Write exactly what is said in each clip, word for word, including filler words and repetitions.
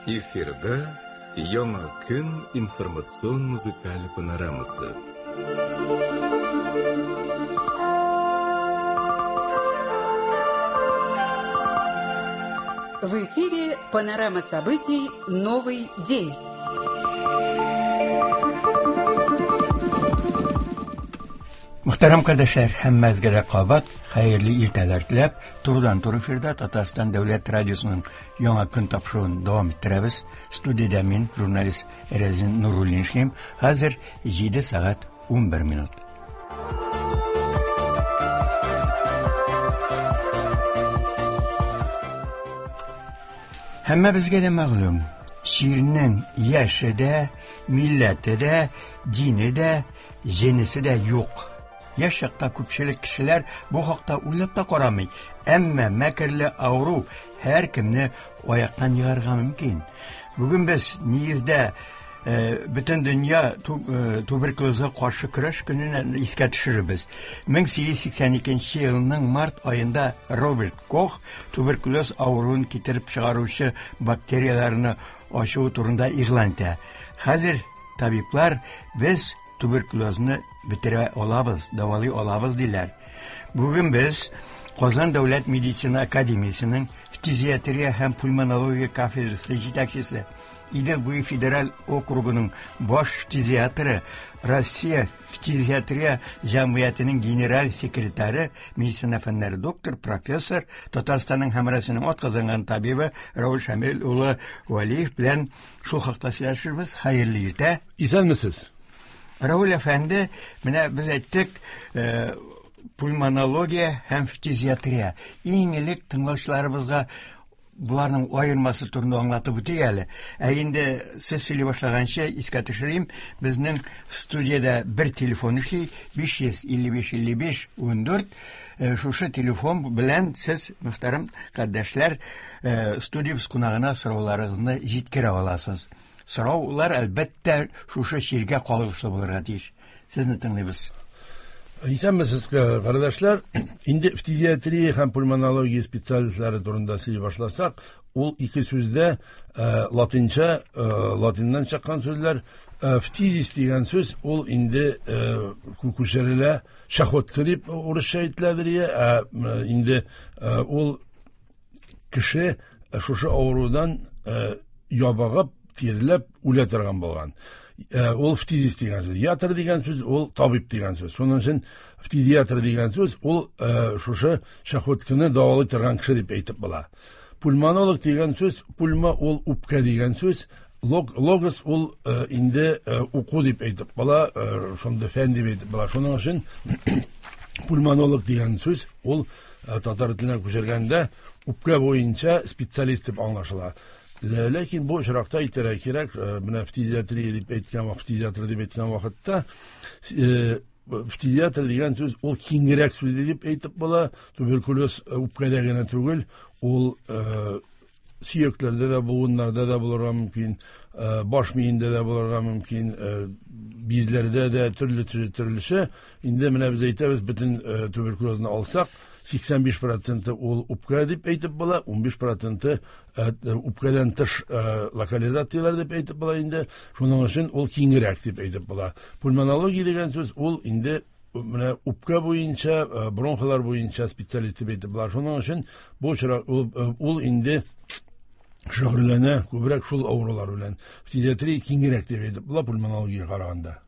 Эфирда Яңа көн информацион музыкаль панорамасы. В эфире панорама событий «Новый день». Мөхтәрәм кардәшләр, һәммәгезгә дә кабат хәерле иртәләр теләп, турыдан-туры эфирда Татарстан дәүләт радиосының Яңа көн тапшыруын дәвам иттерәбез. Студиядә мин, журналист Рәзин Нуруллин эшлим. Хәзер җиде сәгать унбер минут. Һәммәбезгә дә мәгълүм, чирнең яше дә, милләте дә, дине дә, җенесе дә юк. Яшь чакта күпчелек кешеләр бу хакта уйлап та карамый. Әмма мәкерле авыру һәркемне аяктан егарга мөмкин. Бүген без нигездә, э, бөтен дөнья ту-, э, туберкулезга каршы көрәш көнен искә төшерербез. Мең сигез йөз сиксән икенче елның март аенда Роберт Кох туберкулез авыруын китереп чыгаручы бактерияләрне ачуы турында игълан итә. Хәзер табиблар без туберкулезны бетерә алабыз, дәвалый алабыз диләр. Бүген без Казан дәүләт медицина академиясенең фтизиатрия һәм пульмонология кафедрасы җитәкчесе, Идел буе федераль округының баш фтизиатры, Россия фтизиатрия җәмгыятенең генераль секретаре, медицина фәннәре доктор, профессор, Татарстанның һәм Россиянең атказанган табибы Рауль Шамил улы Вәлиев белән шул хакта сөйләшербез. Хәерле иртә. Исәнмесез. Рауль әфәнде, менә без әйттек, э, пульмонология һәм фтизиатрия. Иң элек тыңлаучыларыбызга буларның аермасы турында аңлатып үтик әле. Ә инде сез сөйли башлаганчы искә төшерим, безнең студиядә бер телефон эшли, биш йөз илле биш илле биш ундүрт. Э, шушы телефон белән сез, мөхтәрәм кардәшләр, э, студиябез кунагына сорауларыгызны җиткерә аласыз. Сораулар, әлбәттә, шушы чиргә кагылышлы булырга тиеш. Сезне тыңлыйбыз. Исәнмесез, кардәшләр. Инде фтизиатрия һәм пульмонология специалистлары турында сөйли башласак, ул ике сүздә, э, латинча, э, латиннан чыккан сүзләр. Э, фтизис дигән сүз ул инде, э, күчерелә, чахотка дип урысча әйтеләдер, ә, э, инде, э, ул кеше шушы авырудан, э, ябыгып, тирләп үлә торган булган. Э, ул фтизис дигән сүз. Ятр дигән сүз ул табиб дигән сүз. Шуның өчен фтизиатр дигән сүз ул, э, шушы чахотканы дәвалый торган кеше дип әйтеп була. Пульмонолог дигән сүз, пульма ул үпкә дигән сүз, лог-, логос ул, э, инде, э, уку дип әйтеп була, э, шунда фән дип әйтеп була. Шуның өчен пульмонолог дигән сүз ул, э, татар теленә күчергәндә үпкә буенча специалист дип аңлашыла. Лә-, ләкин бу очракта әйтергә кирәк, э, менә фтизиатрия дип әйткән вакыт, фтизиатр дип әйткән вакытта, э, фтизиатр дигән сүз ул киңрәк сүз дип әйтеп була. Туберкулез, э, үпкәдә генә түгел, ул, э, сөякләрдә дә, буыннарда да булырга мөмкин, э, баш миендә дә булырга мөмкин, э, бизләрдә дә төрле төрлечә. Инде менә без әйтәбез, бөтен, э, туберкулезны алсак, сиксән биш проценты ул үпкә дип әйтеп була, унбиш проценты, э, үпкәдән тыш, э, локализацияләр дип әйтеп була инде. Шуның өчен ул киңрәк дип әйтеп була. Пульмонология дигән сүз ул инде менә үпкә буенча, э, бронхалар буенча специалист дип әйтеп була. Шуның өчен бу очрак ул, э, ул инде шөгыльләнә күбрәк шул авырулар белән. Фтизиатрия киңрәк дип әйтеп була пульмонологияга караганда.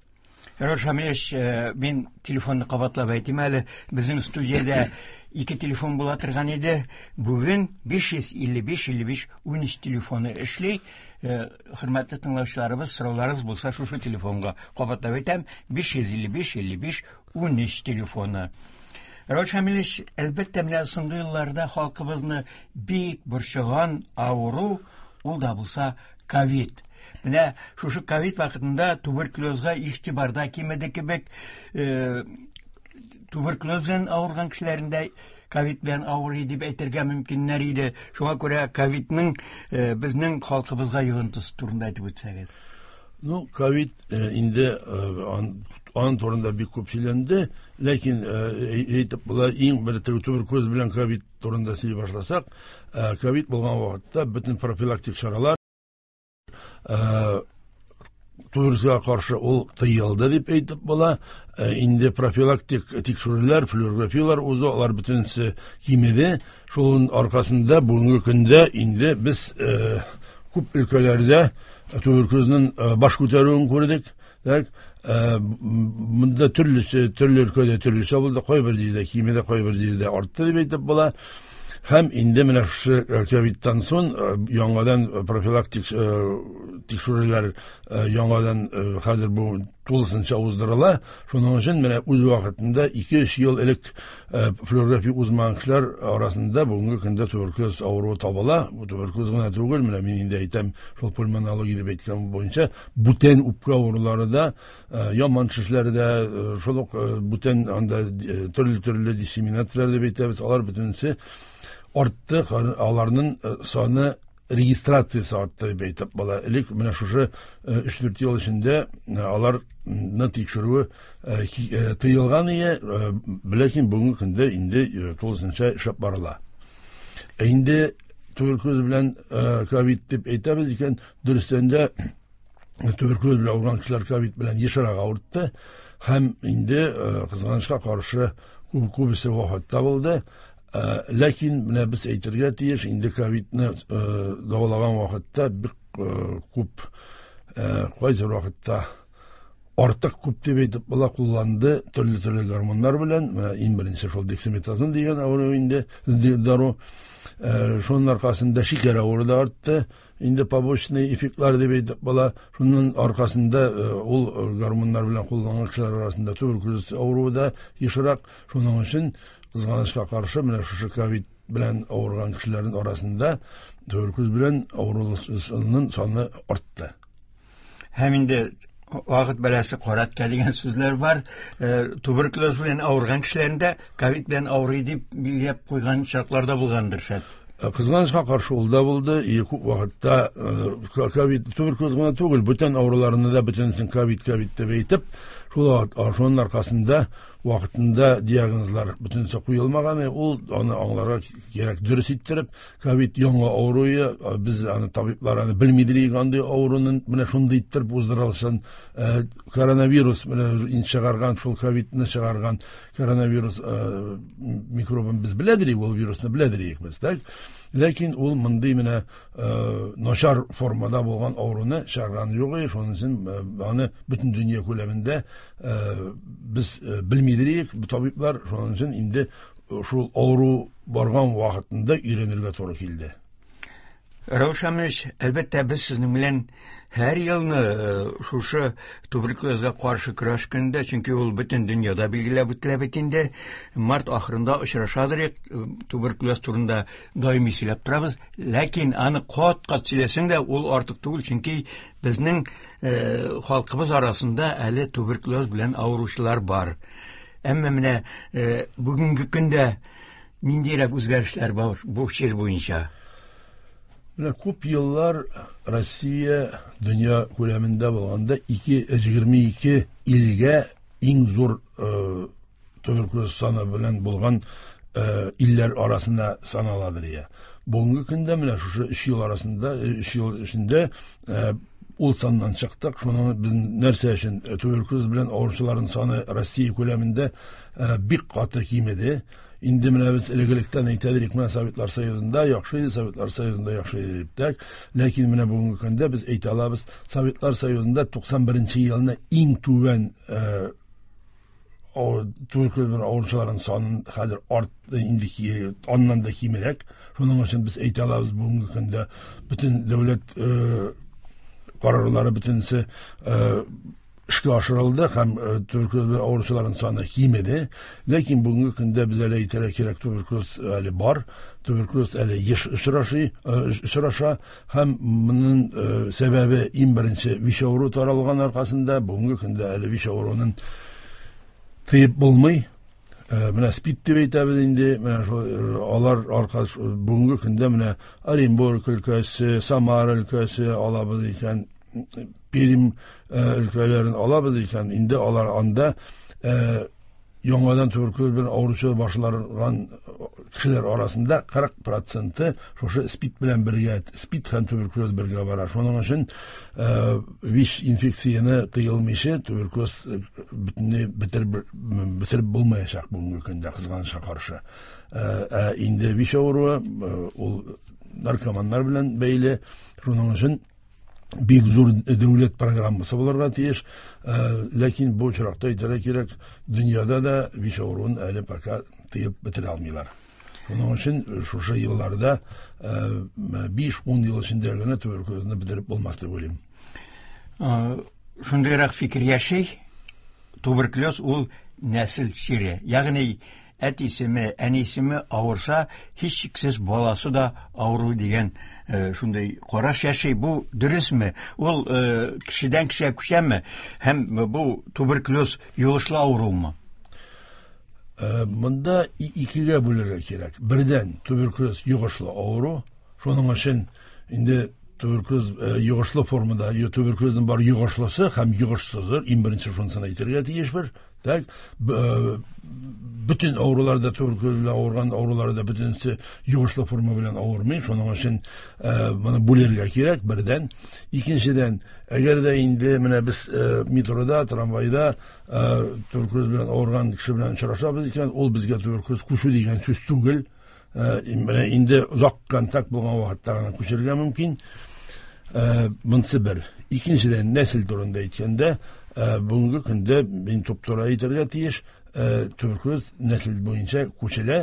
Рауль Шамилевич, э, мин телефонны кабатлап әйтим әле. Безнең студиядә ике телефон була торган иде. Бүген биш йөз илле биш илле биш унөч телефоны эшли. Э, хөрмәтле тыңлаучыларыбыз, сорауларыгыз булса шушы телефонга кабатлап әйтәм, биш йөз илле биш илле биш унөч телефоны. Рауль Шамилевич, әлбәттә, менә соңгы елларда халкыбызны бик борчыган авыру, ул да булса ковид. Менә шушы ковид вакытында туберкулезга игътибарда кимеде кебек, э, туберкулез белән авырган кешеләрендә ковид белән авырый дип әйтергә мөмкиннәр иде. Шуңа күрә ковидның, э, безнең халкыбызга йогынтысы турында әйтеп үтсәгез. Ну, ковид, э, инде, э, ан-, аның турында бик күп сөйләнде, ләкин, э, әйтеп була, иң бер туберкулез белән ковид турында сөйли башласак, э, ковид булган вакытта бөтен профилактик чаралар Туберкулезга каршы ул тыелды дип әйтеп була. Инде профилактик тикшерүләр, флюорографияләр узу, алар бөтенесе кимеде. Шуның аркасында бүгенге көндә инде без күп өлкәләрдә туберкулезның баш күтәрүен күрдек. Так, монда төрлесе, төрле өлкәдә төрлечә булды. Кайбер җирдә кимеде, кайбер җирдә артты дип әйтеп була. Һәм инде менә шушы ковидтан соң яңадан профилактик тикшерүләр яңадан хәзер бу тулысынча уздырыла. Шуның өчен менә үз вакытында ике-өч ел элек флюорография узмаган кешеләр арасында бүгенге көндә туберкулез авыруы табыла. Бу туберкулез гына түгел, менә мин инде әйтәм, шул пульмонология дип әйткән буенча бүтән үпкә авырулары да, яман шешләре дә, шул ук бүтән анда төрле-төрле диссеминацияләр дип әйтәбез, алар бөтенесе артты, аларның саны регистрациясе артты дип әйтеп була. Элек менә шушы өч-дүрт ел эчендә аларны тикшерүе тыелган иде, ләкин бүгенге көндә инде тулысынча эшләп барыла. Инде туберкулез белән ковид дип әйтәбез икән, дөрестән дә туберкулез белән авырган кешеләр ковид белән ешрак авыртты һәм инде кызганычка каршы күбесе вафатта булды. Ләкин менә без әйтергә тиеш, инде ковидны дәвалаган вакытта бик күп, кайсы вакытта артык күп дип әйтеп була, кулланды төрле-төрле гормоннар белән. Менә иң беренче шул дексаметазон дигән авыру инде дару. Шуның аркасында шикәр авыруы да артты. Инде побочный эффектлар дип әйтеп була. Шуның аркасында ул гормоннар белән кулланган кешеләр арасында туберкулез авыруы да ешрак. Шуның өчен кызганычка каршы менә шушы ковид белән авырган кешеләрнең арасында туберкулез белән авыруларның саны артты. Һәм инде вакыт бәласе каратка дигән сүзләр бар. Туберкулез белән авырган кешеләрендә ковид белән авырый дип билгеләп куйган шартлар да булгандыр шәт. Кызганычка каршы ул да булды. И күп вакытта ковид туберкулез гына түгел, бүтән авыруларны да бөтенесен ковид ковид дип әйтеп, шул шуның аркасында вакытында диагнозлар бөтенесе куелмаган. Ул аны аңларга кирәк, дөрес иттереп, ковид яңа авыруы, без аны табиблар аны белмидер андый авыруның менә шундый иттереп уздырылышын, коронавирус менә чыгарган, шул ковидны чыгарган коронавирус микробын без беләдер, ул вирусны беләдер без, так? Ләкин ул мондый менә начар формада булган авыруны чыгарган юк, шуның өчен аны бөтен дөнья күләмендә без белмидер, табиблар шуның өчен инде шул авыру барган вакытында өйрәнергә туры килде. Рәүф Шамилович, әлбәттә, без сезнең белән һәр елны шушы туберкулезга каршы көрәш көнендә, чөнки ул бөтен дөньяда билгеләп үтелә бит инде, март ахырында очрашадыр, туберкулез турында даими сөйләп торабыз. Ләкин аны кат-кат сөйләсәң дә ул артык түгел, чөнки безнең халкыбыз арасында әле туберкулез белән авыручылар бар. Әмма менә бүгенге көндә ниндирәк үзгәрешләр бар бу чир буенча? Менә күп еллар Россия дөнья күләмендә булганда ике егерме ике илгә иң зур туберкулез саны белән булган илләр арасында саналадыр я. Бүгенге көндә менә шушы өч ел арасында, өч ел эчендә ул саннан чыктык. Шуның без нәрсә өчен туберкулез белән авыручыларның саны Россия күләмендә бик каты кимеде. Инде менә без элек-электән әйтәдек, менә Советлар Союзында яхшы иде, Советлар Союзында яхшы иде дип тә. Ләкин менә бүгенге көндә без әйтә алабыз, Советлар Союзында туксан беренче елны иң түбән туберкулез белән авыручыларның саны хәзер артты, инде аннан да кимрәк. Шуның өчен без әйтә алабыз, бүгенге көндә бөтен дәүләт карарлары бөтенесе эшкә ашырылды һәм туберкулез белән авыручыларның саны кимеде. Ләкин бүгенге көндә без әле әйтергә кирәк, туберкулез әле бар, туберкулез әле еш очраша һәм моның сәбәбе иң беренче ВИЧ авыруы таралган аркасында бүгенге көндә әле ВИЧ авыруының тыеп булмый. Менә СПИД дип әйтәбез инде, менә шул алар аркасы бүгенге көндә менә Оренбург өлкәсе, Самара өлкәсе алабыз икән, Пермь өлкәләрен алабыз икән, инде алар анда Яңадан туберкулез белән авыручы башланган кешеләр арасында кырык проценты шушы СПИД белән бергә, СПИД һәм туберкулез бергә бара. Шуның өчен ВИЧ инфекцияне тыелмыйча туберкулез бөтенләй бетереп бетереп булмаячак бүгенге көндә, кызганычка каршы. Ә инде ВИЧ авыруы ул наркоманнар белән бәйле. Шуның өчен бик зур дәүләт программасы булырга тиеш. Ләкин бу очракта әйтергә кирәк, дөньяда да ВИЧ авыруын әле пока тыеп бетерә алмыйлар. Шуның өчен шушы елларда биш-ун ел эчендә генә туберкулезны бетереп булмас дип уйлыйм. Шундыйрак фикер яши, туберкулез ул нәсел чире. Ягъни әтисеме, әнисеме авырса, һичшиксез баласы да авыру дигән шундый караш яши. Бу дөресме? Ул кешедән кешегә күчәме? Һәм бу туберкулез йогышлы авырумы? Монда икегә бүлергә кирәк. Бердән, туберкулез йогышлы авыру. Шуның өчен инде туберкулез йогышлы формада, туберкулезның бар йогышлысы һәм йогышсызы, иң беренче шунысын әйтергә тиешбез. Так, бөтен авыруларда туберкулез белән авырган авыруларда бөтенесе йогышлы форма белән авырмый. Шуның өчен моны бүлергә кирәк, бердән. Икенчедән, әгәр дә инде менә без метрода, трамвайда туберкулез белән авырган кеше белән очрашабыз икән, ул безгә туберкулез күчү дигән сүз түгел. Менә инде озак контакт булган вакытта гына күчергә мөмкин. Монысы бер. Икенчедән, нәсел турында әйткәндә, бүгенге көндә мин туп-туры әйтергә тиеш, туберкулез нәсел буенча күчелә,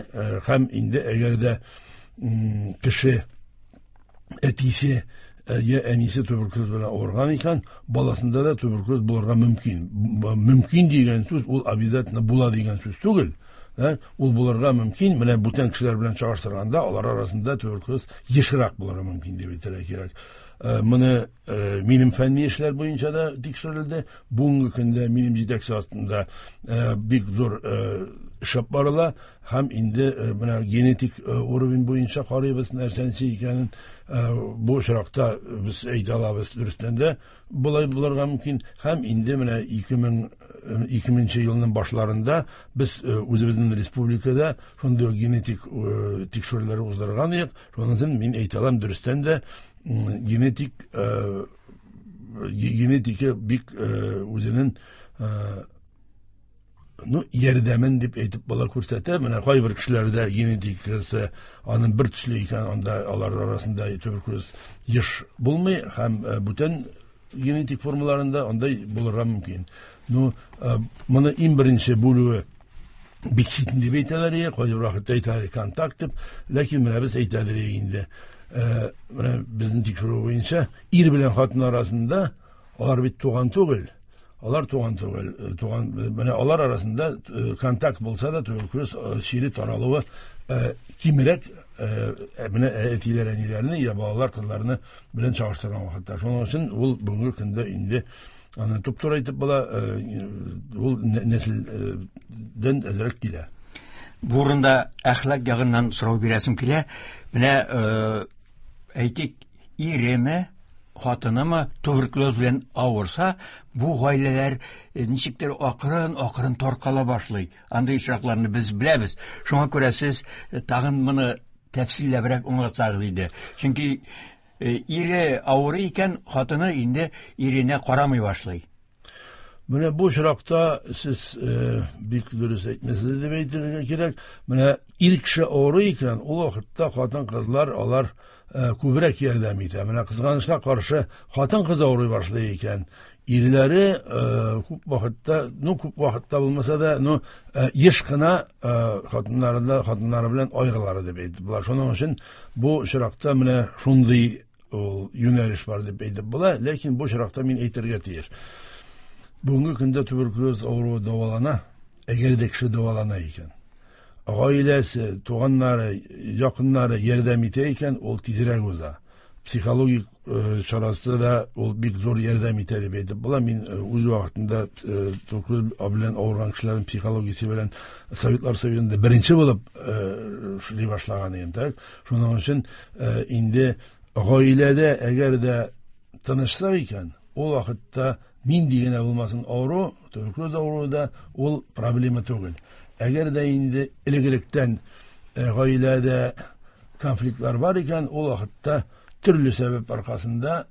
һәм инде әгәр дә кеше әтисе я әнисе туберкулез белән авырган икән, баласында да туберкулез булырга мөмкин. Мөмкин дигән сүз ул обязательно була дигән сүз түгел. Ул булырга мөмкин. Менә бүтән кешеләр белән чагыштырганда алар арасында туберкулез ешрак булырга мөмкин дип әйтергә кирәк. Моны минем фәнни эшләр буенча да тикшерелде. Бүгенге көндә минем җитәкче астында бик зур эш алып барыла һәм инде менә генетик уровень буенча карыйбыз нәрсәнче икәнен. Бу очракта без әйтә алабыз, дөрестән дә болай булырга мөмкин. Һәм инде менә ике мең икенче елның башларында без үзебезнең республикада шундый генетик тикшерүләр уздырган идек. Шуннан соң мин әйтә алам, дөрестән дә генетик генетика бик үзенең ну ярдәмен дип әйтеп бала күрсәтә. Менә кайбер кешеләрдә генетикасы аның бер төсле икән, анда алар арасында туберкулез еш булмый һәм бүтән генетик формаларында андай булырга мөмкин. Ну, моны иң беренче бүлүе бик читен дип әйтәләр, кайбер вакытта әйтәләр контакт дип, ләкин менә без әйтәләр инде. Менә безнең тикшерү буенча ир белән хатын арасында алар бит туган түгел. Алар туган түгел, туган менә алар арасында контакт булса да туберкулез чире таралуы кимрәк, менә әтиләр әниләрне я балалар кызларны белән чагыштырган вакытта. Шуның өчен ул бүгенге көндә инде аны туп-туры әйтеп була, ул нәселдән әзрәк килә. Бу урында әхлак ягыннан сорау бирәсем килә. Менә әйтик, иреме, хатынымы туберкулез белән авырса, бу гаиләләр ничектер акрын-акрын таркала башлый. Андый очракларны без беләбез. Шуңа күрә сез тагын моны тәфсилләбрәк аңлатсагыз иде. Чөнки ире авырый икән, хатыны инде иренә карамый башлый. Менә бу очракта сез бик дөрес әйтмәсез дип әйтергә кирәк. Менә ир кеше авырый икән, ул вакытта хатын-кызлар алар күбрәк ярдәм итә. Менә кызганычка каршы хатын-кыз авырый башлый икән, ирләре күп вакытта, ну күп вакытта булмаса да, ну еш кына хатыннарында хатыннары белән аерылар дип әйтеп була. Шуның өчен бу очракта менә шундый ул юнәлеш бар дип әйтеп була, ләкин бу очракта мин әйтергә тиеш. Бүгенге көндә туберкулез авыруы дәвалана, әгәр дә кеше дәвалана икән, гаиләсе, туганнары, якыннары ярдәм итә икән, ул тизрәк уза. Психологик чарасы да ул бик зур ярдәм итә дип әйтеп була. Мин үз вакытында туберкулез белән авырган кешеләрнең психологиясе белән Советлар Союзында беренче булып эшли башлаган идем. Так, шуның өчен инде гаиләдә әгәр дә тынычлык икән, ул вакытта Нинди генә булмасын авыру, туберкулез авыруы да ул проблема түгел. Әгәр дә инде элек-электән гаиләдә конфликтлар бар икән, ул вакытта төрле сәбәп аркасында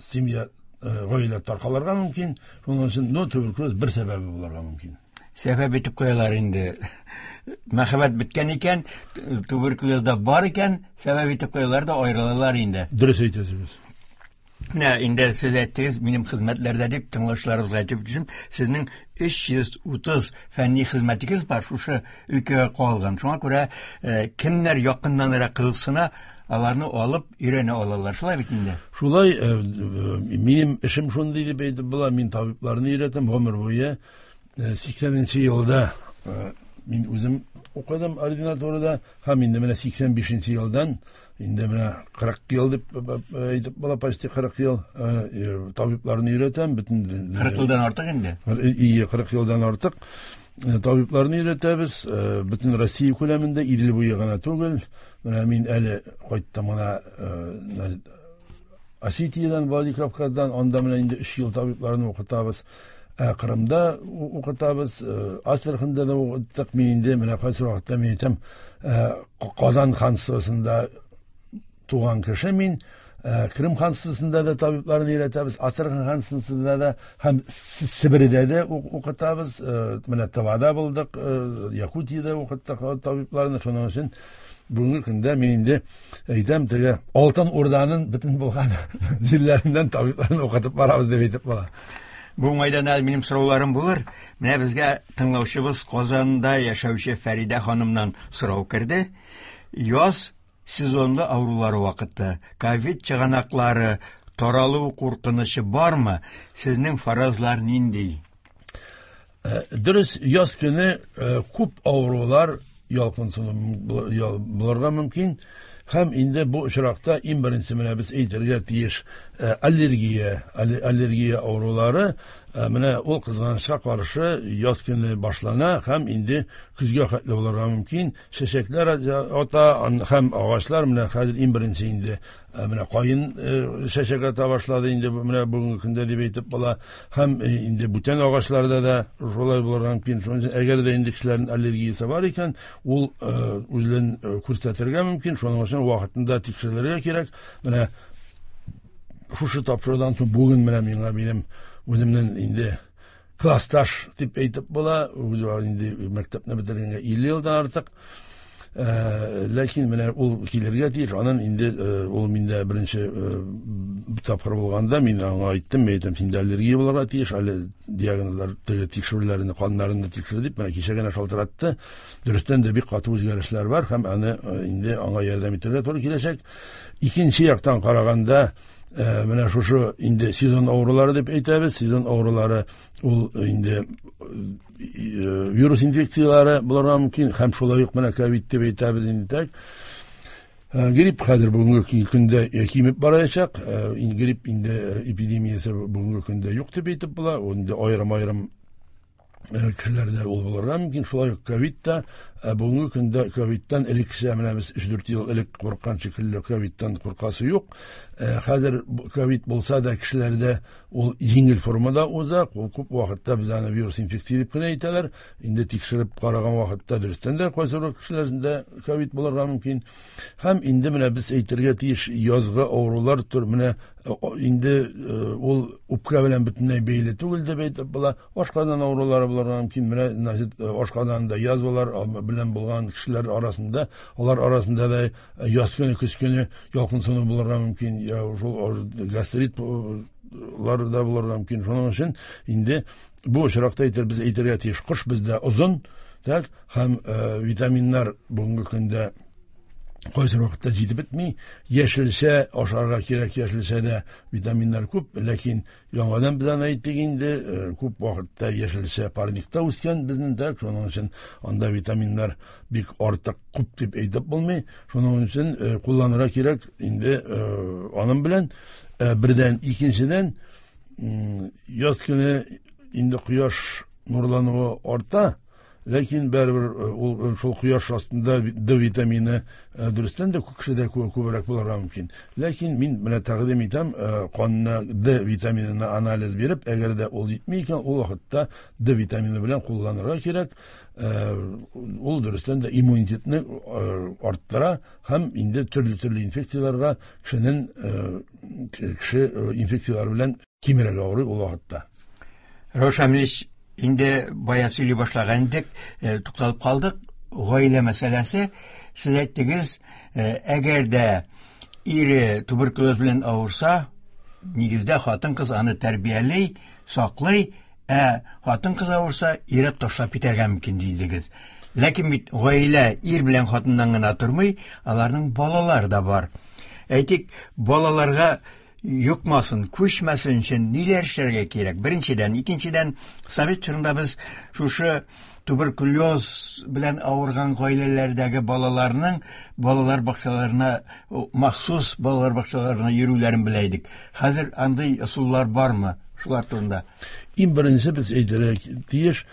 семья, гаилә таркалырга мөмкин. Шуның өчен, но туберкулез бер сәбәбе булырга мөмкин. Сәбәп итеп куялар инде. Мәхәббәт беткән икән, туберкулез да бар икән, сәбәп итеп куялар да аерылалар инде. Дөрес әйтәсез. Менә инде сез әйттегез, минем хезмәтләрдә дип тыңлаучыларыбызга әйтеп үтәм, сезнең өч йөз утыз фәнни хезмәтегез бар, шушы өлкәгә кагылган. Шуңа күрә, кемнәр якыннанрак кызыксына, аларны алып өйрәнә алалар. Шулай бит инде? Шулай, минем эшем шундый дип әйтеп була, мин табибларны өйрәтәм гомер буе. Сиксәненче елда мин үзем укыдым ординатурада, һәм инде менә сиксән бишенче елдан инде менә кырык ел дип әйтеп була, почти кырык ел табибларны өйрәтәм, бөтен кырык елдан артык инде. Ие, кырык елдан артык табибларны өйрәтәбез, бөтен Россия күләмендә, Идел буе гына түгел. Менә мин әле кайттым гына Осетиядән, Владикавказдан, анда менә инде өч ел табибларны укытабыз. Кырымда укытабыз, Астраханда да укыттык. Мин инде менә кайсы вакытта мин әйтәм, Казан ханствосында туган кеше мин, Крым ханствосында да табибларны өйрәтәбез, Астрахань ханствосында да һәм Себердә дә укытабыз. Менә Тывада булдык, Якутиядә укыттык табибларны. Шуның өчен бүгенге көндә мин инде әйтәм, теге Алтын Урданың бөтен булган җирләреннән табибларны укытып барабыз дип әйтеп була. Бу уңайдан әле минем сорауларым булыр. Менә безгә тыңлаучыбыз Казанда яшәүче Фәридә ханымнан сорау керде. Яз сезонлы авырулары вакыты, ковид чыганаклары таралу куркынычы бармы? Сезнең фаразлар нинди? Дөрес, яз көне күп авырулар ялкынсыну булырга мөмкин. Һәм инде бу очракта иң беренче менә без әйтергә тиеш аллергия, аллергия авырулары, менә ул кызганычка каршы яз көне башлана һәм инде көзгә хәтле булырга мөмкин. Чәчәкләр ата һәм агачлар менә хәзер иң беренче инде менә каен чәчәк ата башлады инде менә бүгенге көндә дип әйтеп була. Һәм инде бүтән агачларда да шулай булырга мөмкин. Шуның өчен әгәр дә инде кешеләрнең аллергиясе бар икән, ул үзен күрсәтергә мөмкин. Шуның өчен вакытында тикшерелергә кирәк. Менә шушы тапшырудан соң бүген менә миңа минем үземнең инде классташ дип әйтеп була, үзе инде мәктәпне бетергәнгә илле елдан артык. Ләкин менә ул килергә тиеш. Анын инде ул миндә беренче тапкыр булганда мин аңа әйттем, мин әйтәм, синдә аллергия булырга тиеш, әле диагнозлар, теге тикшерүләрне, каннарны тикшер дип, менә кичә генә шалтыратты. Дөрестән дә бик каты үзгәрешләр бар һәм аны инде аңа ярдәм итәргә туры киләчәк. Икенче яктан караганда, менә шушы инде сезон авырулары дип әйтәбез. Сезон авырулары ул инде вирус инфекциялары булырга мөмкин һәм шулай ук менә ковид дип әйтәбез инде. Так, грипп хәзер бүгенге көндә кимеп барачак. Грипп инде эпидемиясе бүгенге көндә юк дип әйтеп була. Ул инде аерым-аерым кешеләрдә ул булырга мөмкин. Шулай ук ковид та бүгенге көндә ковидтан элеккечә менә без өч-дүрт ел элек курыккан шикелле ковидтан куркасы юк. Хәзер ковид булса да кешеләрдә ул җиңел формада уза. Ул күп вакытта без аны вирус инфекция дип кенә әйтәләр. Инде тикшереп караган вакытта дөрестән дә кайсы бер кешеләрдә ковид булырга мөмкин. Һәм инде менә без әйтергә тиеш язгы авырулар төр менә инде ул үпкә белән бөтенләй бәйле түгел дип әйтеп була. Ашказан авырулары булырга мөмкин. Менә значит ашказанда язвалар белән булган кешеләр арасында, алар арасында да яз көне, көз көне ялкынсыну булырга мөмкин, я шул гастрит лар да булырга мөмкин. Шуның өчен инде бу очракта әйтер, без әйтергә тиеш, кыш бездә озын, так, һәм витаминнар бүгенге көндә кайсы вакытта җитеп бетми. Яшелчә ашарга кирәк, яшелчәдә витаминнар күп, ләкин яңадан без аны әйттек инде, күп вакытта яшелчә парникта үскән безнең, так, шуның өчен анда витаминнар бик артык күп дип әйтеп булмый. Шуның өчен кулланырга кирәк инде аның белән. Бердән, икенчедән, яз көне инде кояш нурлануы арта, Ләкин барыбер ул шул кояш астында Д витамины дөрестән дә кешедә күбрәк булырга мөмкин. Ләкин мин менә тәкъдим итәм, канына Д витаминына анализ биреп, әгәр дә ул җитми икән, ул вакытта Д витамины белән кулланырга кирәк. Ул дөрестән дә иммунитетны арттыра һәм инде төрле-төрле инфекцияләргә кешенең кеше инфекцияләр белән кимрәк авырый ул вакытта. Раушан Амилович, инде бая сөйли башлаган идек, тукталып калдык. Гаилә мәсьәләсе. Сез әйттегез, әгәр дә ире туберкулез белән авырса, нигездә хатын-кыз аны тәрбияли, саклый, ә хатын-кыз авырса, ире ташлап китәргә мөмкин дидегез. Ләкин бит гаилә ир белән хатыннан гына тормый, аларның балалары да бар. Әйтик, балаларга йокмасын, күчмәсен өчен ниләр эшләргә кирәк? Беренчедән, икенчедән, совет чорында без шушы туберкулез белән авырган гаиләләрдәге балаларның балалар бакчаларына, махсус балалар бакчаларына йөрүләрен белә идек. Хәзер андый ысуллар бармы? Шулар турында. Иң беренче без әйтергә тиеш,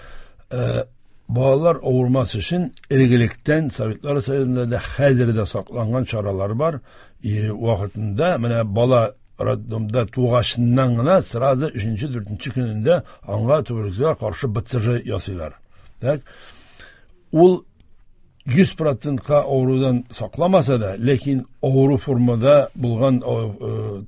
балалар авырмас өчен элек-электән Советлар Союзында да хәзер дә сакланган чаралар бар. Вакытында менә бала роддомда тугашыннан гына сразу өченче, дүртенче көнендә аңа туберкулезга каршы Б Ц Ж ясыйлар. Так, ул йөз процентка авырудан сакламаса да, ләкин авыру формада булган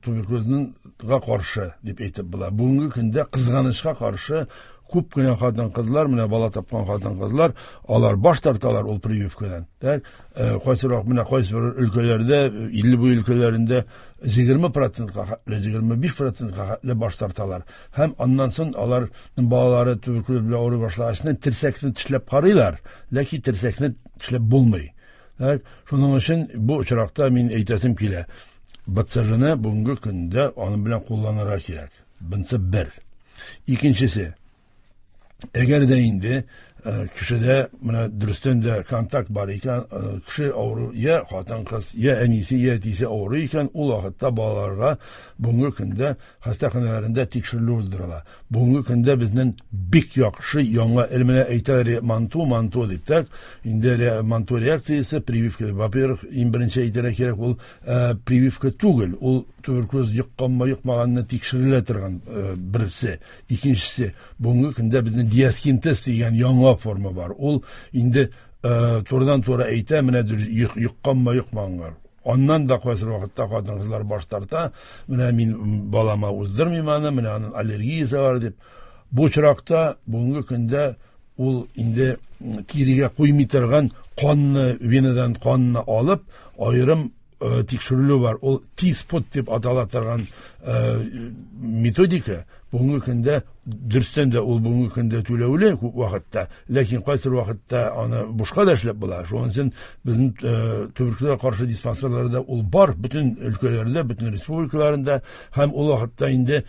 туберкулезга каршы дип әйтеп була. Бүгенге көндә кызганычка каршы күп кенә хатын-кызлар, менә бала тапкан хатын-кызлар, алар баш тарталар ул прививкадан. Так, кайсырак менә кайсы бер өлкәләрдә, илле буе өлкәләрендә егерме процентка, егерме биш процентка хәтле баш тарталар. Һәм аннан соң аларның балалары туберкулез белән авырый башлагач, терсәкне тешләп карыйлар, ләкин терсәкне тешләп булмый. Так, шуның өчен бу очракта мин әйтәсем килә, Б Ц Ж-ны бүгенге көндә аның белән кулланырга кирәк. Бунысы бер. Икенчесе, әгәр дә инде кешедә менә дөрестән дә контакт бар икән, кеше авыру, я хатын-кыз, я әнисе, я әтисе авыру икән, ул вакытта балаларга бүгенге көндә хастаханәләрендә тикшерелү уздырыла. Бүгенге көндә безнең бик яхшы яңа менә әйтәләр манту, манту дип, так, инде манту реакциясе прививка. Во-первых, иң беренче әйтергә кирәк, ул прививка түгел, ул туберкулез йокканмы, йокмаганны тикшерелә торган берсе. Икенчесе, бүгенге көндә безнең диаскин тест дигән яңа форма бар. Ул инде турыдан-туры әйтә, менә йокканмы, йокмаганга. Аннан да кайсы вакытта хатын-кызлар баш тарта, менә мин балама уздырмыйм аны, менә аның аллергиясе бар дип. Бу очракта бүгенге көндә ул инде тирегә куймый торган канны, венадан канны алып, аерым тикшерелү бар. Ул T-спот дип атала торган методика бүгенге көндә дөрестән дә ул бүгенге көндә түләүле күп вакытта, ләкин кайсы вакытта аны бушка да эшләп була. Шуның өчен безнең туберкулезга каршы диспансерларда ул бар, бөтен өлкәләрдә, бөтен республикаларында, һәм ул вакытта инде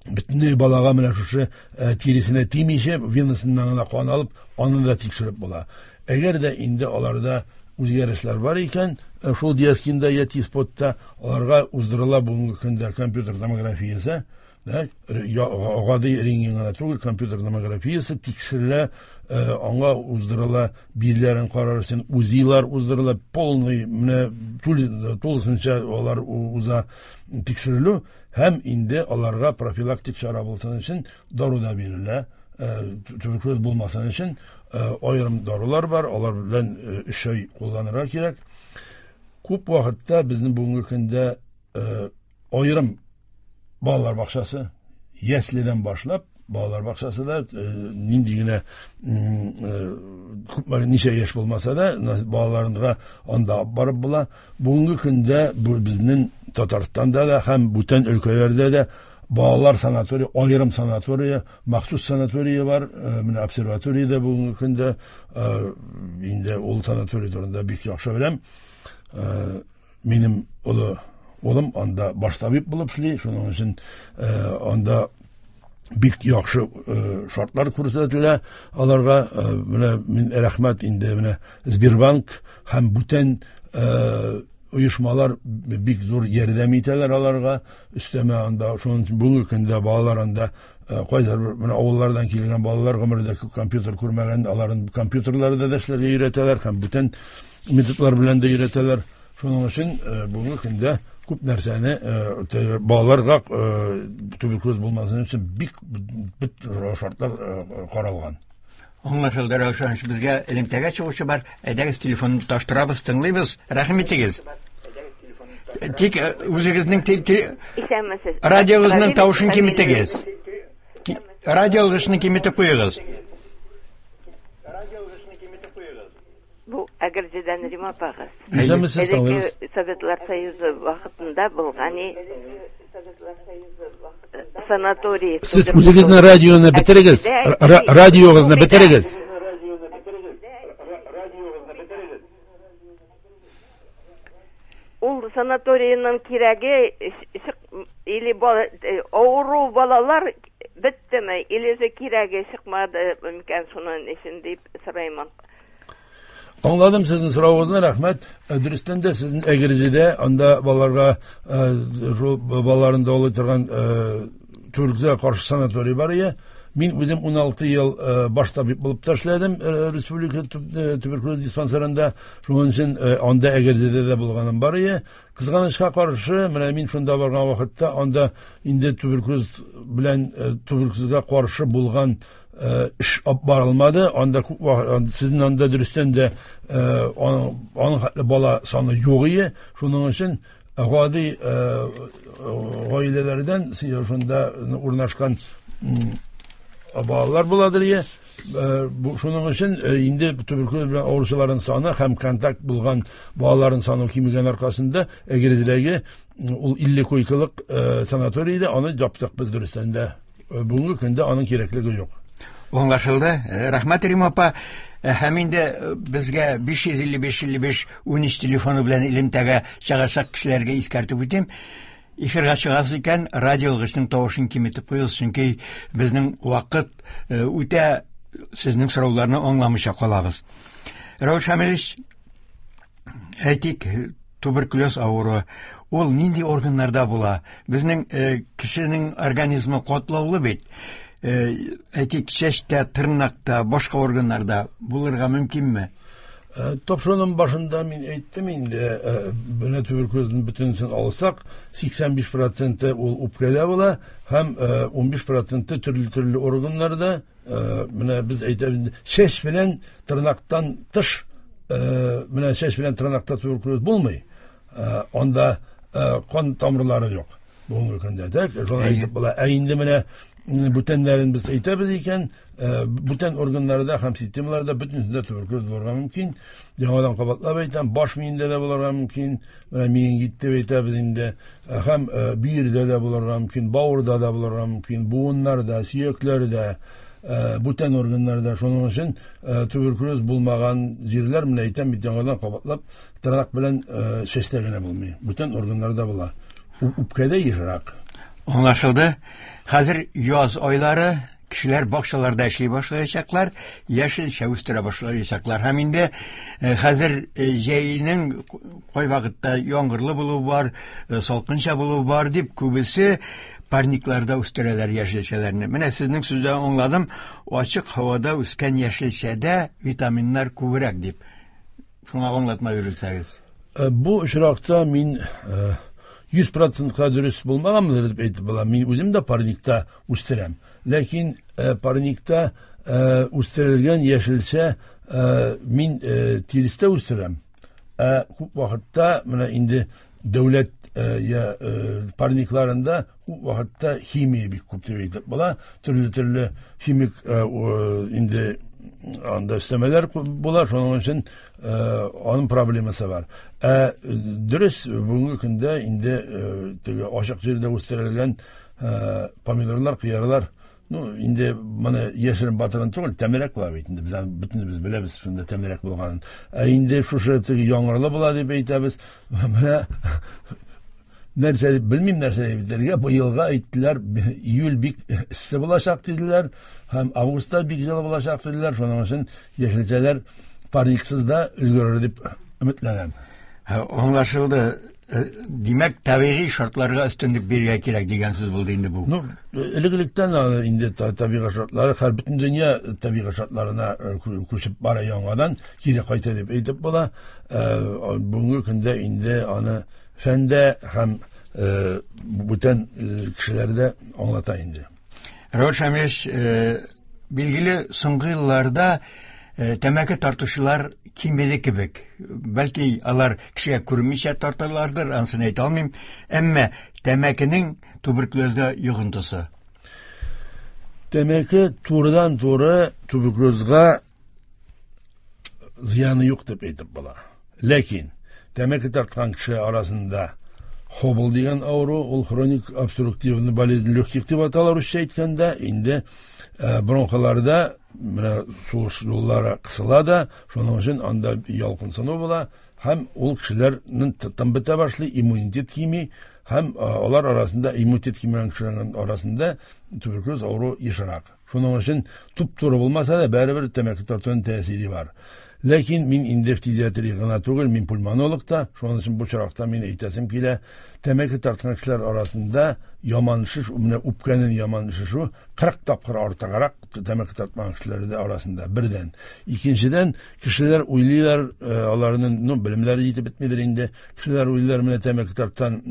бөтенләй балага менә шушы тиресенә тимичә, венасыннан гына кан алып, аны да тикшереп була. Әгәр дә инде аларда үзгәрешләр бар икән, шул диаскинда я T-спотта аларга уздырыла бүгенге көндә компьютер томографиясе, да, гади рентген гына түгел, компьютер томографиясе тикшерелә, аңа уздырыла бизләрен карар өчен УЗИлар уздырыла, полный менә тулысынча алар уза тикшерелү, һәм инде аларга профилактик чара булсын өчен дару да бирелә, туберкулез булмасын өчен аерым дарулар бар, алар белән өч ай кулланырга кирәк. Күп вакытта безнең бүгенге көндә аерым балалар бакчасы, яследән башлап балалар бакчасы да нинди генә күпме ничә яшь булмаса да балаларга анда барып була. Бүгенге көндә бу безнең Татарстанда да һәм бүтән өлкәләрдә дә балалар санаторий, аерым санатория, махсус санатория бар. Менә обсерваторияда бүгенге көндә инде ул санаторий турында бик яхшы беләм. Минем олы улым анда баш табиб булып эшли, шуның өчен анда бик яхшы шартлар күрсәтелә аларга. Менә мин рәхмәт инде менә Сбербанк һәм бүтән оешмалар бик зур ярдәм итәләр аларга. Өстәмә анда шуның өчен бүгенге көндә балалар анда Кайдыр менә авыллардан килгән балалар гомердә компьютер күрмәгән, аларын компьютерларда да эшләргә өйрәтәләр һәм бүтән методлар белән дә өйрәтәләр. Шуның өчен бүгенге көндә күп нәрсәне балаларга туберкулез булмасын өчен бик бит шартлар каралган. Аңлашылды, Раушан, безгә элемтәгә чыгучы бар. Әйдәгез, телефонны тоташтырабыз, тыңлыйбыз. Рәхим итегез. Тик үзегезнең Исәнмесез. Радиогызның тавышын киметегез. Радиогызны киметеп куегыз. Бу Әгерҗедән Рима апагыз. Исәнмесез, тыңлыйбыз. Советлар Союзы вакытында булган санаторий. Сез үзегезнең радионы бетерегез. Радиогызны бетерегез. Ул санаторийның кирәге или авыру балалар беттеме, или же кирәге чыкмады микән шуның өчен дип сорыймын. Аңладым сезнең соравыгызны, рәхмәт. Дөрестән дә сезнең Әгерҗедә анда балаларга шул балаларын дәвалый торган туберкулезга каршы санаторий бар иде. Мин үзем ун алты ел баш табиб булып та эшләдем республика туберкулез диспансерында. Шуның өчен анда Әгерҗедә дә булганым бар иде. Кызганычка каршы, менә мин шунда барган вакытта анда инде туберкулез белән туберкулезга каршы булган эш алып барылмады. Анда күп вакыт сезнең анда дөрестән дә аның хәтле бала саны юк иде. Шуның өчен гади гаиләләрдән шунда урнашкан балалар буладыр ие. Шуның өчен инде туберкулез белән авыручыларның саны һәм контакт булган балаларның саны кимегән аркасында Әгерҗедәге ул илле койкалык санаторийда аны яптык без дөрестән дә. Бүгенге көндә аның кирәклеге юк. Аңлашылды. Рәхмәт, Рима апа. Һәм инде безгә биш йөз илле биш илле биш ун өч телефоны белән элемтәгә чыгачак кешеләргә искәртеп үтим. Эфирга чыгасыз икән, радиолгычның тавышын киметеп куегыз, чөнки безнең вакыт үтә, сезнең сорауларны аңламыйча калабыз. Рәүш Хәмилович, әйтик, туберкулез авыруы ул нинди органнарда була? Безнең кешенең организмы катлаулы бит. Әйтик, чәчтә, тырнакта, башка органнарда булырга мөмкинме? Тапшыруның башында мин әйттем инде, менә туберкулезның бөтенесен алсак, сиксән биш проценты ул үпкәдә була һәм ун биш проценты төрле-төрле органнарда. Менә без әйтәбез, чәч белән тырнактан тыш, менә чәч белән тырнакта туберкулез булмый. Анда кан тамырлары юк бүгенге көндә. Так, шуны әйтеп була. Ә инде менә бүтәннәрен без әйтәбез икән, бүтән органнарда һәм системаларда бөтенесендә туберкулез булырга мөмкин. Яңадан кабатлап әйтәм, баш миендә дә булырга мөмкин, менә менингит дип әйтәбез инде, һәм бөердә дә булырга мөмкин, бавырда да булырга мөмкин, буыннарда, сөякләрдә, бүтән органнарда. Шуның өчен туберкулез булмаган җирләр, менә әйтәм бит, яңадан кабатлап, тырнак белән чәчтә генә булмый, бүтән органнарда була. Үпкәдә ешрак. Аңлашылды. Хәзер яз айлары, кешеләр бакчаларда эшли башлаячаклар, яшелчә үстерә башлаячаклар. Һәм инде хәзер җәйнең кай вакытта яңгырлы булуы бар, салкынча булуы бар дип күбесе парникларда үстерәләр яшелчәләрне. Менә сезнең сүздән аңладым, ачык һавада үскән яшелчәдә витаминнар күбрәк дип. Шуңа аңлатма бирсәгез. Бу очракта мин йөз процентка дөрес булмаганмыдыр дип әйтеп була. Мин үзем дә парникта үстерәм. Ләкин парникта үстерелгән яшелчә мин тирестә үстерәм. Ә күп вакытта менә инде дәүләт парникларында күп вакытта химия бик күп дип әйтеп була. Төрле-төрле химик инде анда өстәмәләр була, шуның өчен аның проблемасы бар. Ә дөрес, бүгенге көндә инде теге ачык җирдә үстерелгән помидорлар, кыярлар, ну, инде моны яшерен батырын түгел, тәмлерәк була бит инде. Без аны бөтенебез беләбез, шунда тәмлерәк булганын. Ә инде шушы теге яңгырлы була дип әйтәбез. Менә нәрсә дип белмим, нәрсә дип әйтергә. Бу елга әйттеләр, июль бик эссе булачак диделәр, һәм августта бик җылы булачак диделәр. Шуның өчен яшелчәләр парниксыз да өлгерер дип өметләнәм. Аңлашылды, Димәк, табигый шартларга өстенлек бирергә кирәк дигән сүз булды инде бу. Ну, элек-электән инде табигый шартлары, һәр бөтен дөнья табигый шартларына күчеп бара, яңадан кире кайта дип әйтеп була. Бүгенге көндә инде аны фәндә һәм бүтән кешеләр дә аңлата инде. Равил Шамилевич, билгеле, соңгы елларда тәмәке тартучылар кимеде кебек. Бәлки алар кешегә күренмичә тарталардыр, анысын әйтә алмыйм. Әмма тәмәкенең туберкулезга йогынтысы. Тәмәке турыдан-туры туберкулезга зыяны юк дип әйтеп була. Ләкин тәмәке тарткан кеше арасында хобл дигән авыру, ул хроник обструктивный болезнь легких дип атала русча әйткәндә, инде бронхаларда менә сулыш юллары кысыла да, шуның өчен анда ялкынсыну була, һәм ул кешеләрнең тын бетә башлый, иммунитет кими, һәм алар арасында иммунитет кимегән кешеләрнең арасында туберкулез авыруы ешрак. Шуның өчен туп-туры булмаса да, барыбер тәмәке тартуның тәэсире бар. Ләкин мин инде фтизиатрия гына түгел, мин пульмонолог та, шуның өчен бу очракта мин әйтәсем килә, тәмәке тарткан кешеләр арасында яман шеш, менә үпкәнең яман шешү кырык тапкыр артыграк тәмәке тартмаган кешеләр арасында бердән. Икенчедән, кешеләр уйлыйлар, аларның, ну, белемнәре җитеп бетмидер инде. Кешеләр уйлыйлар, менә тәмәке тарткан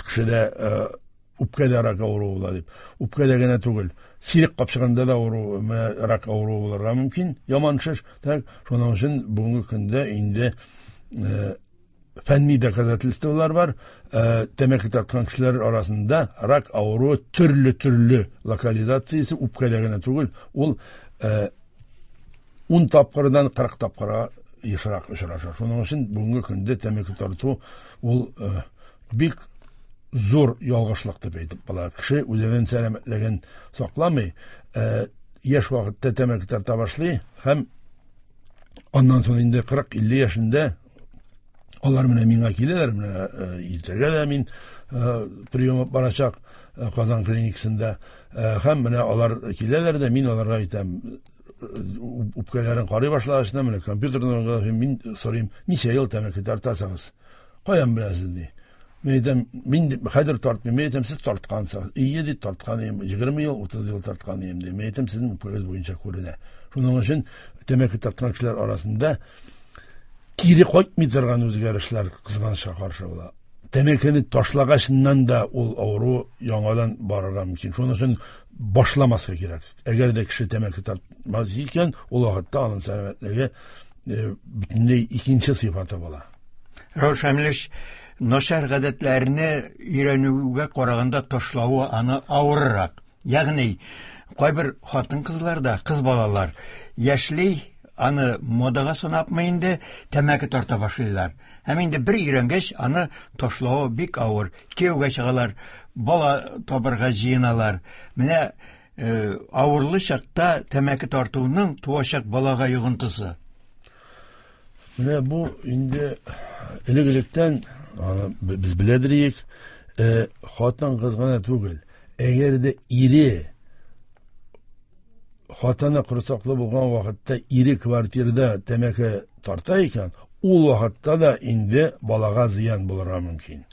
кешедә үпкәдә рак авыруы була дип. Үпкәдә генә түгел, сирек капчыгында да авыру, менә рак авыруы булырга мөмкин, яман шеш. Так, шуның өчен бүгенге көндә инде фәнни доказательстволар бар. Тәмәке тарткан кешеләр арасында рак авыруы төрле-төрле локализациясе үпкәдә генә түгел, ул ун тапкырдан кырык тапкырга ешрак очраша. Шуның өчен бүгенге көндә тәмәке тарту ул бик зур ялгышлык дип әйтеп була. Кеше үзенең сәламәтлеген сакламый, яшь вакытта тәмәке тарта башлый һәм аннан соң инде кырык-илле яшендә алар менә миңа киләләр, менә иртәгә дә мин прием барачак Казан клиникасында, һәм менә алар киләләр дә, мин аларга әйтәм, үпкәләрен карый башлагач, менә компьютердан мин сорыйм, ничә ел тәмәке тартасыгыз? Каян беләсез, ди. Мин әйтәм, мин хәзер тартмыйм, мин әйтәм, сез тарткансыз. Ие, ди, тарткан идем, егерме ел, утыз ел тарткан идем, ди. Мин әйтәм, сезнең үпкәгез буенча күренә. Шуның өчен тәмәке тарткан кешеләр арасында кире кайтмый торган үзгәрешләр кызганычка каршы була. Тәмәкене ташлагачыннан да ул авыру яңадан барырга мөмкин. Шуның өчен башламаска кирәк. Әгәр дә кеше тәмәке тартмас икән, ул вакытта аның сәламәтлеге бөтенләй икенче сыйфаты була. Равил Шамилевич, начар гадәтләрне өйрәнүгә караганда ташлавы аны авыррак. Ягъни кайбер хатын-кызларда, кыз балалар яшьли аны модага санапмы инде тәмәке тарта башлыйлар. Һәм инде бер өйрәнгәч, аны ташлавы бик авыр. Кияүгә чыгалар, бала табырга җыеналар. Менә авырлы чакта тәмәке тартуның туачак балага йогынтысы. Менә бу инде элек-электән без беләдер, хатын-кыз гына түгел. Әгәр дә ире хатыны корсаклы булган вакытта ире квартирада тәмәке тарта икән, ул вакытта да инде балага зыян булырга мөмкин.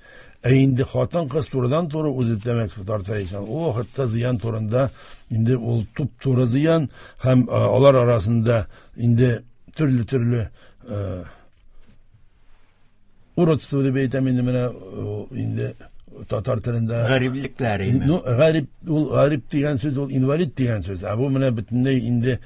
Ә инде хатын-кыз турыдан-туры үзе тәмәке тарта икән, ул вакытта зыян турында инде ул туп-туры зыян, һәм алар арасында инде төрле-төрле уродство дип әйтәм инде, менә инде татар телендә гариплекләр инде. Ну, гарип, ул гарип дигән сүз, ул инвалид дигән сүз. Ә бу менә бөтенләй инде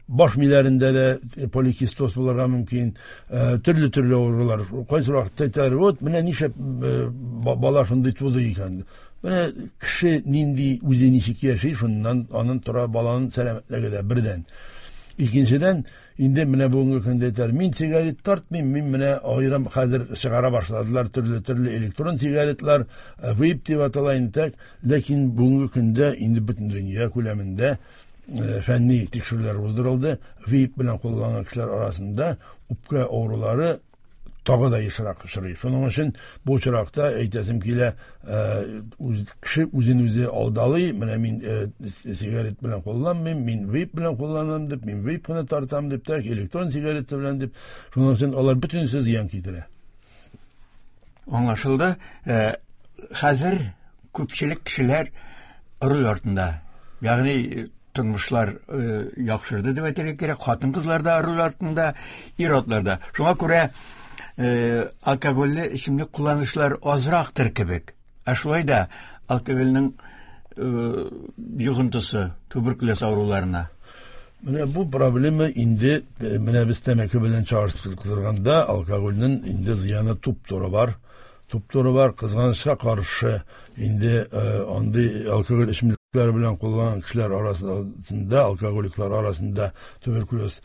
баш миләрендә дә поликистоз булырга мөмкин, төрле-төрле авырулар. Кайсы вакытта әйтәләр, вот менә нишләп бала шундый туды икән. Менә кеше нинди үзе ничек яши, шуннан аның тора баланың сәламәтлеге дә бердән. Икенчедән, инде менә бүгенге көндә әйтәләр, мин сигарет тартмыйм, мин менә аерым хәзер чыгара башладылар төрле-төрле электрон сигаретлар, вейп дип атала инде, так. Ләкин бүгенге көндә инде бөтен дөнья күләмендә фәнни тикшерүләр уздырылды. Вейп белән кулланган кешеләр арасында үпкә авырулары тагы да ешрак очрый. Шуның өчен бу очракта әйтәсем килә, кеше үзен үзе алдалый, менә мин сигарет белән кулланмыйм, мин вейп белән кулланам дип, мин вейп кына тартам дип, так, электрон сигарет белән дип. Шуның өчен алар бөтенесе зыян китерә. Аңлашылды. Хәзер күпчелек кешеләр руль артында. Ягъни тормышлар яхшырды дип әйтергә кирәк. Хатын-кызлар да руль артында, ир-атлар да. Шуңа күрә алкогольле эчемлек кулланучылар азрактыр кебек. Ә шулай да алкогольнең йогынтысы туберкулез авыруларына. Менә бу проблема инде менә без тәмәке белән чагыштырганда алкогольнең инде зыяны туп-туры бар. Туп-туры бар. Кызганычка каршы инде андый алкоголь эчемлекләре белән кулланган кешеләр арасында, алкоголиклар арасында туберкулез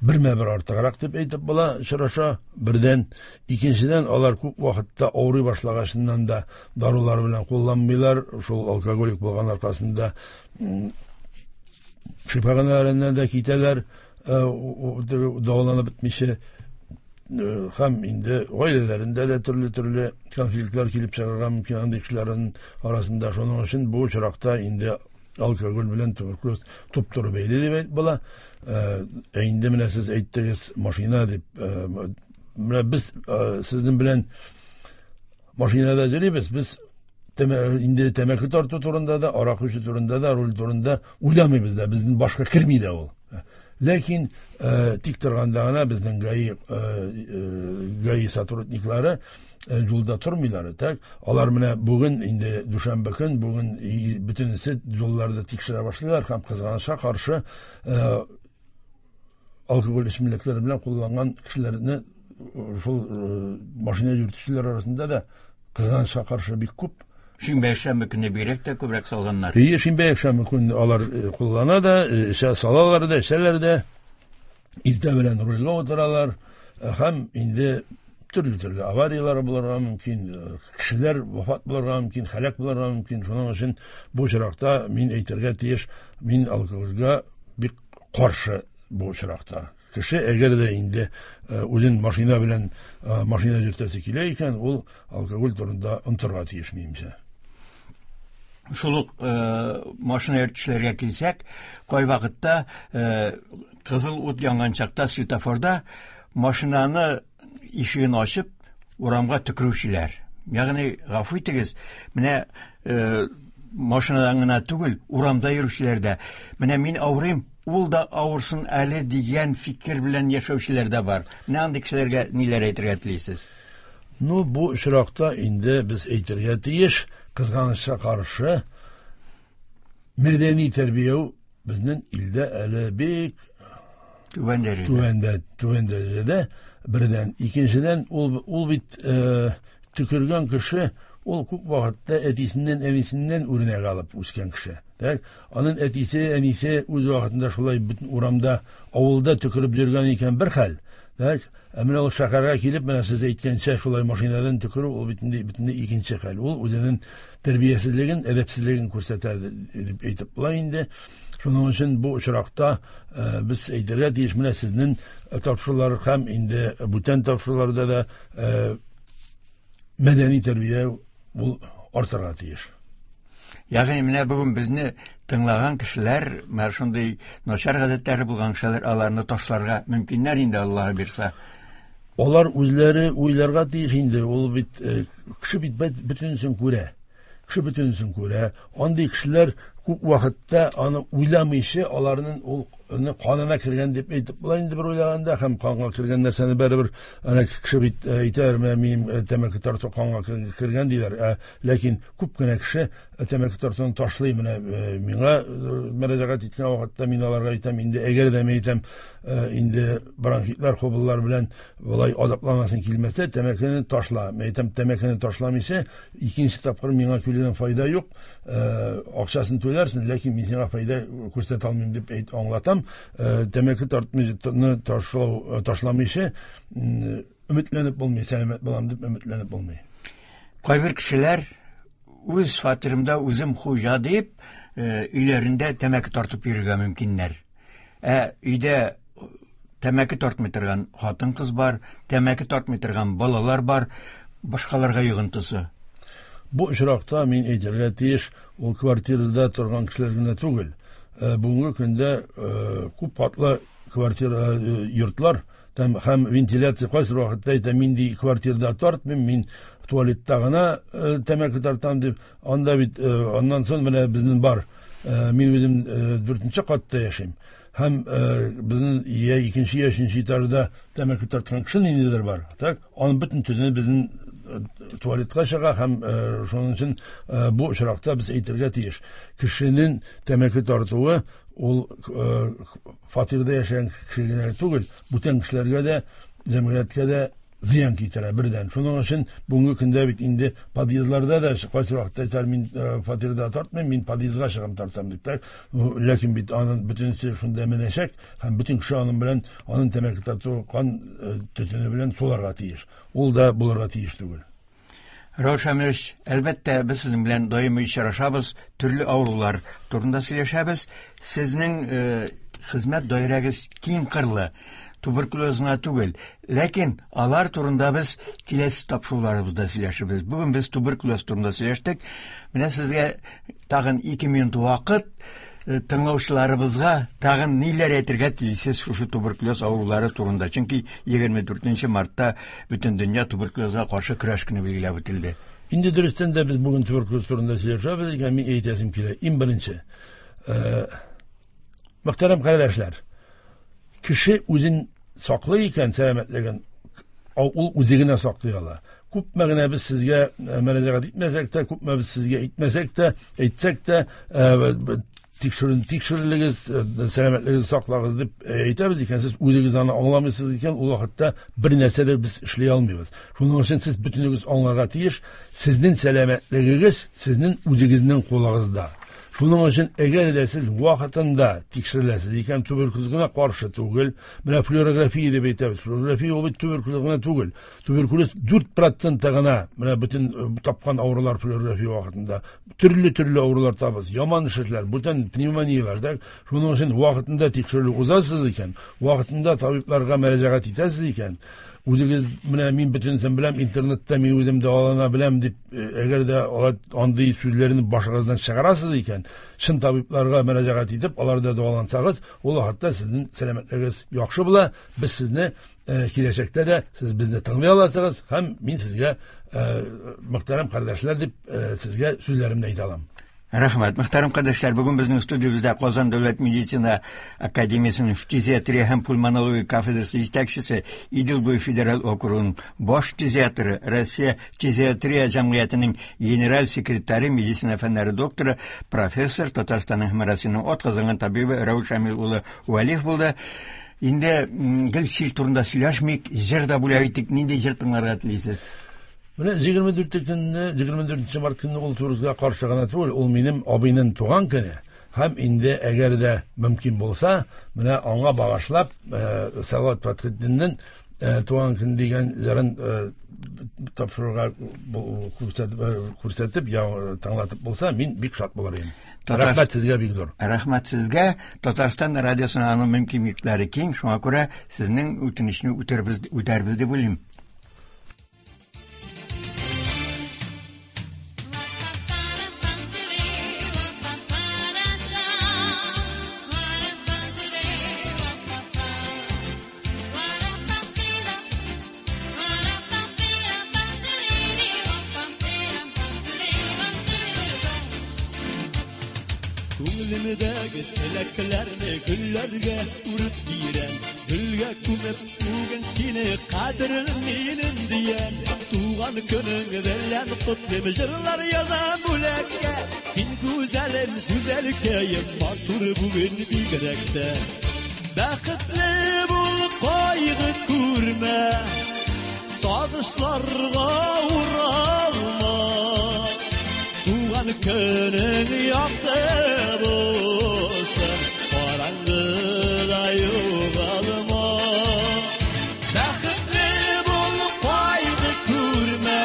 бермә-бер артыграк дип әйтеп була очраша. Бердән, икенчедән, алар күп вакытта авырый башлагачыннан да дарулар белән кулланмыйлар. Шул алкоголик булган аркасында шифаханаларыннан да китәләр, дәваланып бетмичә. Һәм инде гаиләләрендә дә төрле-төрле конфликтлар килеп чыгарга мөмкин андый кешеләрнең арасында. Шуның өчен бу очракта инде алкоголь белән туберкулез туп-туры бәйле дип әйтеп була. Ә инде менә сез әйттегез машина дип. Менә без сезнең белән машинада йөрибез, без инде тәмәке тарту турында да, аракы эчү турында да, руль турында уйламыйбыз да, безнең башка керми дә ул. Ләкин тик торганда гына безнең ГАИ, ГАИ сотрудниклары юлда тормыйлар. Так, алар менә бүген инде дүшәмбе көн, бүген бөтенесе юлларда тикшерә башлыйлар һәм кызганычка каршы алкоголь эчемлекләре белән кулланган кешеләрне шул машина йөртүчеләр арасында да кызганычка каршы бик күп. Шимбә якшәмбе көне бигрәк тә күбрәк салганнар. Ие, шимбә якшәмбе көне алар куллана да, эчә салалар да, эчәләр дә. Иртә белән рульгә утыралар һәм инде төрле-төрле аварияләр булырга мөмкин, кешеләр вафат булырга мөмкин, һәлак булырга мөмкин. Шуның өчен бу очракта мин әйтергә тиеш, мин алкогольгә бик каршы бу очракта. Кеше әгәр дә инде үзен машина белән машина йөртәсе килә икән, ул алкоголь турында онытырга тиеш минемчә. Шул ук машина йөртүчеләргә килсәк, кайвакытта кызыл ут янган чакта светофорда машинаны ишеген ачып урамга төкерүчеләр. Ягъни, гафу итегез, менә машинадан гына түгел, урамда йөрүчеләр дә. Менә мин авырыйм, ул да авырсын әле дигән фикер белән яшәүчеләр дә бар. Менә андый кешеләргә ниләр әйтергә телисез? Ну, бу очракта инде без әйтергә тиеш, кызганычка каршы мәдәни тәрбия безнең илдә әле бик түбән дәрәҗәдә. Түбән, түбән дәрәҗәдә. Бердән, икенчедән, ул, ул бит төкергән кеше, ул күп вакытта әтисеннән, әнисеннән үрнәк алып үскән кеше. Так, аның әтисе, әнисе үз вакытында шулай бөтен урамда, авылда төкереп йөргән икән бер хәл. Так, ә менә ул шәһәргә килеп, менә сез әйткәнчә шулай машинадан төкерү, ул бөтенләй, бөтенләй икенче хәл. Ул үзенең тәрбиясезлеген, әдәпсезлеген күрсәтә дип әйтеп була инде. Шуның өчен бу очракта без әйтергә тиеш, менә сезнең тапшырулар һәм инде бүтән тапшыруларда да мәдәни тәрбия ул артырга тиеш. Ягъни менә бүген безне тыңлаган кешеләр, менә шундый начар гадәтләре булган кешеләр, аларны ташларга мөмкиннәр инде, Аллаһ бирсә. Алар үзләре уйларга тиеш инде. Ул бит кеше бит бөтенесен күрә. Кеше бөтенесен күрә. Андый кешеләр күп вакытта аны уйламыйча, аларның ул канына кергән дип әйтеп була инде бер уйлаганда, һәм канга кергән нәрсәне барыбер ана кеше бит әйтәр, менә минем тәмәке тарту канга кергән диләр. Ә ләкин күп кенә кеше тәмәке тартуны ташлый. Менә миңа мөрәҗәгать иткән вакытта мин аларга әйтәм, инде әгәр дә мин әйтәм, инде бронхитлар, хобыллар белән болай азапланасың килмәсә, тәмәкене ташла. Мин әйтәм, тәмәкене ташламыйча икенче тапкыр миңа килүдән файда юк, акчасын түләрсең, ләкин мин сиңа файда күрсәтә алмыйм дип әйт аңлатам. Тәмәке тартмыйча ташлау ташламыйча өметләнеп булмый, сәламәт булам дип өметләнеп булмый. Кайбер кешеләр үз фатирымда үзем хуҗа дип, өйләрендә тәмәке тартып йөрергә мөмкиннәр. Ә өйдә тәмәке тартмый торган хатын-кыз бар, тәмәке тартмый торган балалар бар, башкаларга йогынтысы. Бу очракта мин әйтергә тиеш, ул квартирада торган кешеләр генә түгел. Бүгенге көндә күп катлы квартира йортлар, Там һәм вентиляция кайсы вакытта әйтә, мин ди квартирада тартмыйм, мин туалетта гына тәмәке тартам дип. Анда бит аннан соң менә безнең бар. Мин үзем дүртенче катта яшим. Һәм безнең я икенче, я өченче этажда тәмәке тарткан кеше ниндидер бар. Так, аның бөтен төтене безнең туалетка чыга һәм шуның өчен бу очракта без әйтергә тиеш. Кешенең тәмәке тартуы ул фатирда яшәгән кешеләргә түгел, бүтән кешеләргә дә, җәмгыятькә дә зыян китерә бердән. Шуның өчен бүгенге көндә бит инде подъездларда да кайсы вакытта әйтәләр, мин фатирда тартмыйм, мин подъездга чыгам тартсам дип. Так, ләкин бит аның бөтенесе шунда менәчәк һәм бөтен кеше аның белән, аның тәмәке тарту кан төтене белән суларга тиеш. Ул да булырга тиеш түгел. Раул Шамилович, әлбәттә, без сезнең белән даими очрашабыз, төрле авырулар турында сөйләшәбез. Сезнең хезмәт даирәгез киң кырлы, туберкулез гына түгел. Ләкин алар турында без киләсе тапшыруларыбызда сөйләшербез. Бүген без туберкулез турында сөйләштек. Менә сезгә тагын ике минут вакыт, тыңлаучыларыбызга тагын ниләр әйтергә телисез шушы туберкулез авырулары турында? Чөнки егерме дүртенче мартта бөтен дөнья туберкулезга каршы көрәш көне билгеләп үтелде. Инде дөрестән дә без бүген туберкулез турында сөйләшәбез икән, мин әйтәсем килә. Иң беренче, мөхтәрәм кардәшләр, кеше үзен саклый икән сәламәтлеген, ул үзе генә саклый ала. Күпме генә без сезгә мөрәҗәгать итмәсәк тә, күпме без сезгә әйтмәсәк тә, әйтсәк тә, тикшерен, тикшерелегез, сәламәтлегегезне саклагыз дип әйтәбез икән, сез үзегез аны аңламыйсыз икән, ул вакытта бер нәрсә дә без эшли алмыйбыз. Шуның өчен сез бөтенегез аңларга тиеш, сезнең сәламәтлегегез сезнең үзегезнең кулыгызда. Шуның өчен әгәр дә сез вакытында тикшереләсез икән, туберкулезга каршы түгел, менә флюорография дип әйтәбез. Флюорография ул бит туберкулез гына түгел. Туберкулез дүрт процент гына, менә бөтен тапкан авырулар флюорография вакытында төрле-төрле авырулар табыз, яман шешләр, бүтән пневмонияләр дә. Шуның өчен вакытында тикшерелү узасыз икән, вакытында табибларга мөрәҗәгать итәсез икән, үзегез менә мин бөтенесен беләм, интернетта мин үзем дәвалана беләм дип, әгәр дә андый сүзләрне башыгыздан чыгарасыз икән, чын табибларга мөрәҗәгать итеп, аларда дәвалансагыз, ул вакытта сезнең сәламәтлегегез яхшы була. Без сезне киләчәктә дә сез безне тыңлый аласыгыз һәм мин сезгә мөхтәрәм кардәшләр дип сезгә сүзләремне әйтә алам. Рәхмәт. Мөхтәрәм кардәшләр, бүген безнең студиябездә Казан дәүләт медицина академиясенең фтизиатрия һәм пульмонология кафедрасы җитәкчесе, Идел буе федераль округының баш фтизиатры, Россия фтизиатрия җәмгыятенең генераль секретаре, медицина фәннәре докторы, профессор, Татарстанның һәм Россиянең атказанган табибы Раул Шамил улы Вәлиев булды. Инде гел чир турында сөйләшмик, җыр да бүләк итик. Нинди җыр тыңларга телисез? Менә егерме дүртенче көнне, егерме дүртенче март көнне ул туберкулезга каршы гына түгел, ул минем абыйның туган көне. Һәм инде әгәр дә мөмкин булса, менә аңа багышлап, Салават Фәтхетдиннең туган көн дигән җырын тапшыруга күрсәтеп, тыңлатып булса, мин бик шат булыр идем. Рәхмәт сезгә бик зур. Рәхмәт сезгә. Татарстан радиосының аның мөмкинлекләре киң, шуңа күрә сезнең үтенечне үтәрбез, үтәрбез дип уйлыйм. Күңелемдәге теләкләрне гөлләргә үреп бирәм, гөлгә күмеп бүген сине кадерлем минем диян. Туган көнең белән котлыйм, җырлар язам бүләккә. Син гүзәлем, гүзәлкәем, матур бүген бигрәк тә. Бәхетле бул, кайгы күрмә, сагышларга уралма. Туган көнең якты булсын, караңгыда югалма. Бәхетле бул, кайгы күрмә,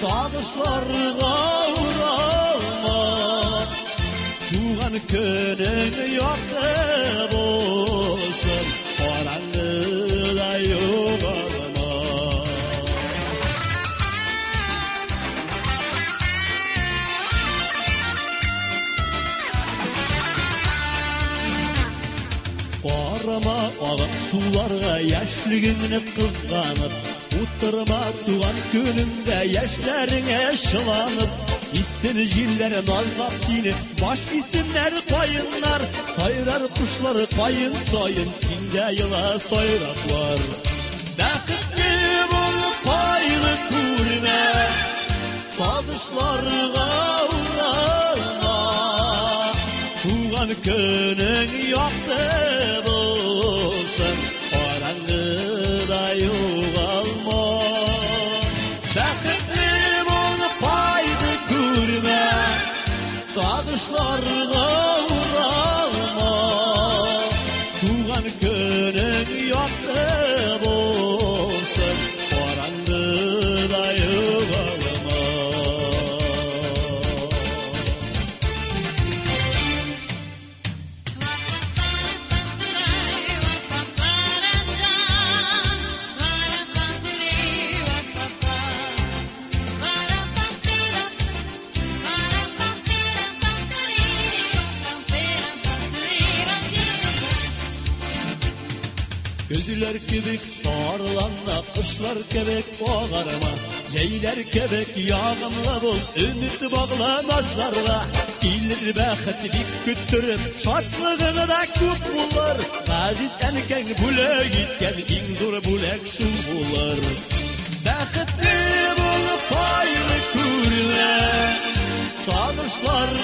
сагышларга уралма. Туган көнең якты булсын, караңгыда югалма. Карама агып суларга яшьлегеңне кызганып, утырма туган көнеңдә яшьләреңә чыланып. Истин җилләр назлап сине, баш истиннәр каеннар, сайрар кошлар каен саен, синдә ела сайраклар. Бәхетле бул, кайгы күрмә, сагышларга уралма. Туган көнең якты булсын, караңгыда югалма. Бәхетле бул, кайгы күрмә, сагышларга уралма. Туган көнең якты булсын, караңгыда югалма. Көзләр кебек сарыланма, кышлар кебек агарма, җәйләр кебек ягымлы бул, өмет багла назларга. Килер бәхет бик көттереп, шатлыгың да күп булыр. Газиз әнкәң бүләк иткән иң зур бүләк шул булыр. Бәхетле бул, кайгы күрмә, сагышларга